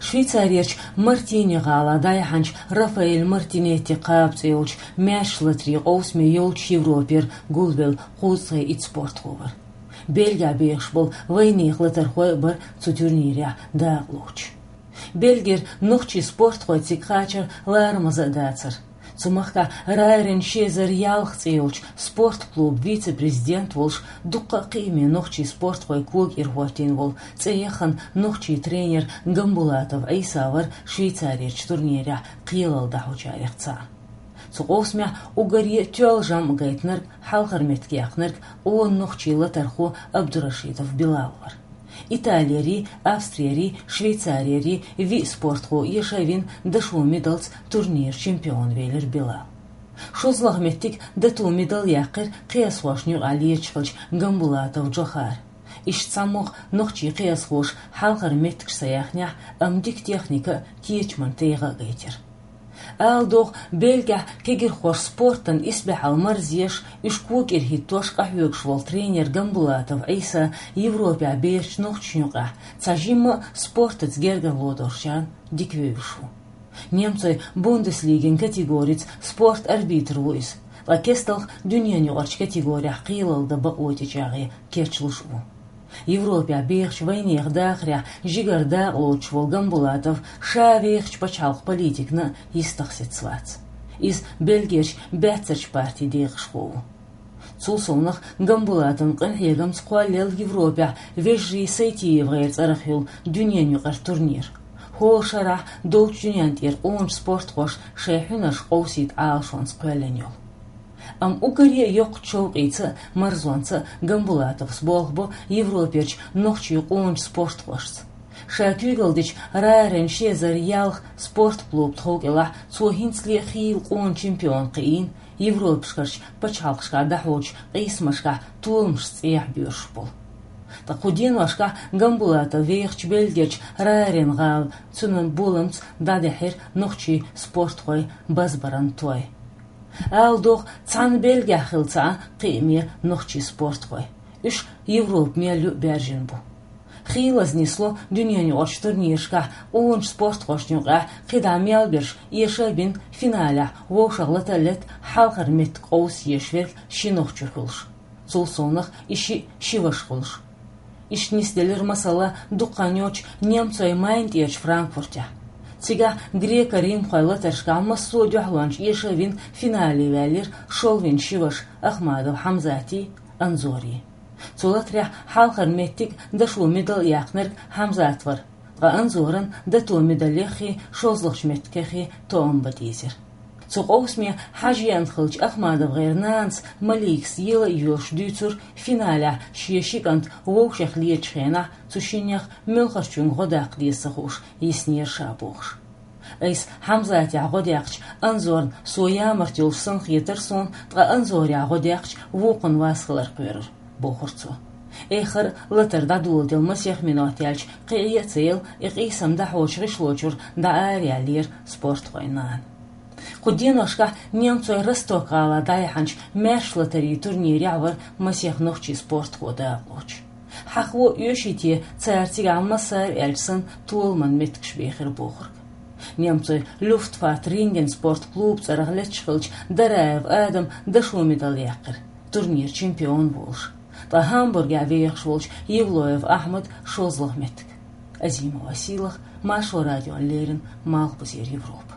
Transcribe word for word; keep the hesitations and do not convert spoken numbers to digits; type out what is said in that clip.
Швейцарерчу Мартини гӀала дӀаяхьначу Рафаэль Мартинетти кхаба цӀе йолчу маьрша латарийн къовсаме йолчу Европера гулвелла кхузткъе итт спортхо вара. Бельгехь бехаш болу вайнехан латархой а бара цу турнирехь дакъалоцуш. Бельгера нохчийн спортхой цига кхачар ларамаза а дацара. Цу махкахь Райрин ши эзар ялх цӀе йолчу спортклубан вице-президент волуш, дуккха а кхиаме нохчийн спортхойн кога тӀера хӀоттийна волу цӀе яхана нохчийн тренер Гамбулатов Ӏийса вара Швейцарерчу турнирехь кхелалла дӀахьочарех цхьаъ. Цу къовсамехь уггаре а тоьлла жамӀ гайтинарг, хьалхара меттиг яьккхинарг къона нохчийн латархо Абдурашидов Билал вара. Италиярий, Австриярий, Швейцариярий виъ спортхо эша а вина, дашо медальца турниран чемпион велира Билал. ШолгӀа меттиг, дато медаль яьккхира кхиазхошна юкъахь леташ хиллачу Гамбулатов Джохара. Иштта цхьамогӀа нохчийн кхиазхоша хьалхара меттигаш ца яьхнехь, амма дика техника а, кечаман тӀегӀа а гайтира. Ала догӀу, Бельгехь кегийрхоша спортана исбаьхьалла марзъеш, уьш кога тӀера хӀиттош къахьоьгуш волу тренер Гамбулатов Ӏийса Европехь бераш нохчашна юкъахь цхьа жимма а спортаца гергарло долчарна дика вевзаш ву. Немцойн Бундеслигин категорица спорт арбитр ву иза, ткъа кестта дуьненаюкъарчу категорехь кхелалла дан бакъо тӀечӀагӀъе кечлуш а ву. Европехь бехачу вайнехан дахарехь жигара дакъалоцуш волу Гамбулатов ша вехачу пачхьалкхан политикана а йистах сецна вац. Иза Бельгерчу баьццарчу партин декъашхо ву. Цул совнаха, Гамбулатовн къинхьегамца кхоллаелла Европехь вежарий СайтиевгӀеран цӀарах йолу дуьненаюкъара турнир. ХӀора шарахь долчу дуьнен тӀера къоначу спортхоша шайн хьуьнарш къовсийта Ӏалашонца кхоьллина йолу. Амма уггаре а йоккхачу шовкъица а, марзонца а Гамбулатовс болх бо Европерчу нохчийн къоначу спортхошца. Ша куьйгалла дечу Райрин ши эзар ялх спортклубан тхов кӀелахь цо хӀинцале а хийла къона чемпион кхиийна, Европашкарчу пачхьалкхашкахь дӀахьочу къийсамашкахь толамашца цӀехьа боьрзуш болу. Ткъа кху деношкахь Гамбулатов вехачу Бельгерчу Райрин гӀала цуьнан боламца дӀадаьхьира нохчийн спортхойн базбаран той. Ала догӀу, цхьана Бельгехь хилла ца Ӏа кхиаме нохчийн спортхой. Уьш Европа мел ю а баьржина бу. Хийлаза нисло дуьненаюкъарчу турнирашкахь къоначу спортхошна юкъахь кхидӀа мел берш эша а бина, финалехь вовшах лата а летта, хьалхара меттиг къовса езаш верг ши нохчо хуьлуш. Цул совнаха и шиъ ши ваша хуьлуш. Иштта нисделира масала дукха хан йоццуш немцойн Майн тӀерачу Франкфуртехь. Цигахь греко-римхойн латаршкахь массо а дуьхьалончаш эша а вина, финале ваьллира шолгӀа ши ваша Ахмадов Хьамзатий, Анзорий. Цу латарехь хьалхара меттиг а, дашо медаль а яьккхинарг Хьамзат вара, ткъа Анзоран дато медалеххий, шолгӀачу меттигеххий тоам бан дийзира. Цу къовсаме хьажа еана хиллачу АхмадовгӀеран нанас Маликас ела а йоьлуш дуьйцура финалехь шен ши кӀант вовшех летачу хенахь цу шиннех муьлхарчуьнга гӀо даккха деза ца хууш йиснера ша бохуш. Айса Хьамзатехь гӀо даьккхича, Анзорна со ямарта йолуш санна хетара суна, ткъа Анзорехь гӀо даьккхича, вукхунна вас хилар кхоьрура, бохура цо. Эххар а латар дӀадоладелла масех минот яьлча, кхин Ӏе а ца елла, и къийсам дӀахьочу гӀишло чуьра дӀа араяьллера спортхойн нана. Кху деношкахь немцойн Росток-гӀала дӀаяьхьначу маьрша латарийн турнирехь вара масех нохчийн спортхо дакъалоцуш. Хьахаво оьший те цара цигахь массара аьлча санна толаман меттигаш бехира бохург. Немцойн Люфтваффе-Ринген спорт клубан цӀарах летташ хиллачу Дараев Адама дашо медаль яьккхира, турниран чемпион волуш. Ткъа Гамбургехь вехаш волчу Евлоев Ахьмада шолгӀа меттиг. Азима Василах, Маршо радиона леррина, Малхбузера Европа.